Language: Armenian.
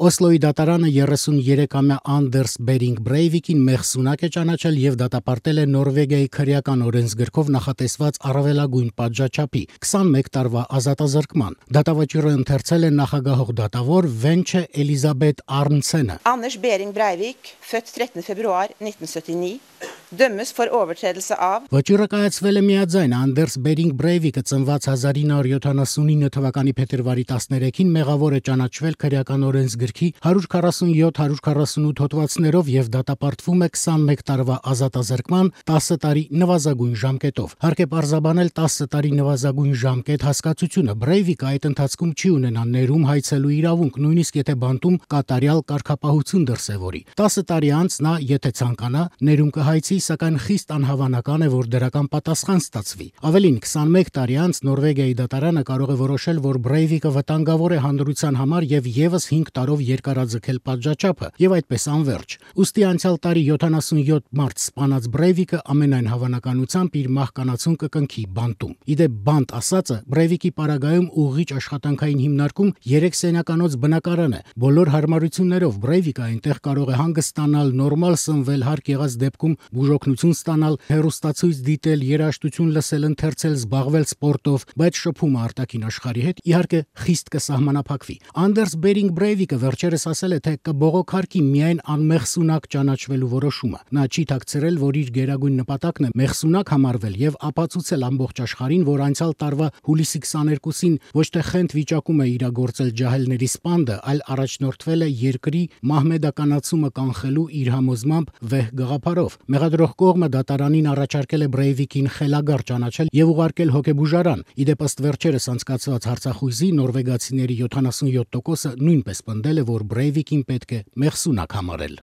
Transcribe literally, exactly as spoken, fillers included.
Օսլոյի դատարանը երեսուներեքամյա Անդերս Բերինգ Բրեյվիկին մեղսունակ է ճանաչել եւ դատապարտել է Նորվեգիայի քրեական օրենսգրքով նախատեսված առավելագույն պատժաչափի քսանմեկ տարվա ազատազրկման։ Դատավճիռը ընթերցել է նախագահող դատավոր Վենչե Էլիզաբետ Արնցենը։ Anders Behring Breivik, født trettende februar nitten syttini, dømmes for overtredelse av Վճիռը կայացվել է միաձայն Անդերս Բերինգ Բրեյվիկը ծնված հազար ինը հարյուր յոթանասունինը թվականի փետրվարի տասներեքին մեղավոր է ճանաչվել քրեական օրենսգրքի հարյուր քառասունյոթ հարյուր քառասունութ հոդվածներով եւ դատապարտվում է քսանմեկ տարվա ազատազրկման տասը տարի նվազագույն ժամկետով։ Հարկ է պարզաբանել տասը տարի նվազագույն ժամկետ հասկացությունը։ Բրեյվիկը այդ ընթացքում չի ունենա ներում հայցելու իրավունք, նույնիսկ եթե բանտում կատարյալ կարգապահություն դրսևորի։ տասը տարի անց նա, եթե ցանկանա, ներում կհայցի, սակայն խիստ անհավանական է, որ դրական պատասխան ստացվի։ Ավելին, քսանմեկ տարի անց Նորվեգիայի դատարանը կարող է որոշել, որ Բրեյվիկը վտանգավոր է հանրության համար եւ եւս հինգ տարով երկարաձգել պատժաչափը եւ այդպես անվերջ։ Ուստի անցյալ տարի յոթանասունյոթ մարտ սպանած Բրեյվիկը ամենայն հավանականությամբ իր մահկանացուն կկնքի բանտում։ Իդեպ բանտ ասածը Բրեյվիկի պարագայում ուղղիչ աշխատանքային հիմնարկում երեք սենյականոց բնակարան է։ Բոլոր հարմարություններով Բրեյվիկը այնտեղ կարող է հանգստանալ, նորմալ սնվել, հարկ եղած դեպքում բուժօգնություն ստանալ, հեռուստացույց դիտել, երաժշտություն լսել, ընթերցել, զբաղվել սպորտով, բայց շփումը արտաքին աշխարհի հետ իհարկե խիստ կսահմանափակվի։ Անդերս Բերինգ Բրեյվիկը վերջերս ասել է, թե կբողոքարկի միայն անմեղսունակ ճանաչվելու որոշումը։ Նա չի թաքցրել, որ իր գերագույն նպատակն է մեղսունակ համարվել եւ ապացուցել ամբողջ աշխարհին, որ անցյալ տարվա հուլիսի քսաներկուսին ոչ թե խենթ վիճակում է իրագործել ջահելների սպանդը, այլ առաջնորդվել է երկրի մահմեդականացումը կանխելու իր համոզմամբ վեհ գաղափարով։ Մեղադրող կողմը դատարանին առաջարկել է Բրեյվիկին խելագար ճանաչել եւ ուղարկել հոգեբուժարան։ Իդեպ ըստ վերջերս անցկացված հարցախույզի նորվեգացիների յոթանասունյոթ տոկոսը նույնպես պնդել է, որ Բրեյվիկին պետք է մեղսունակ համարել։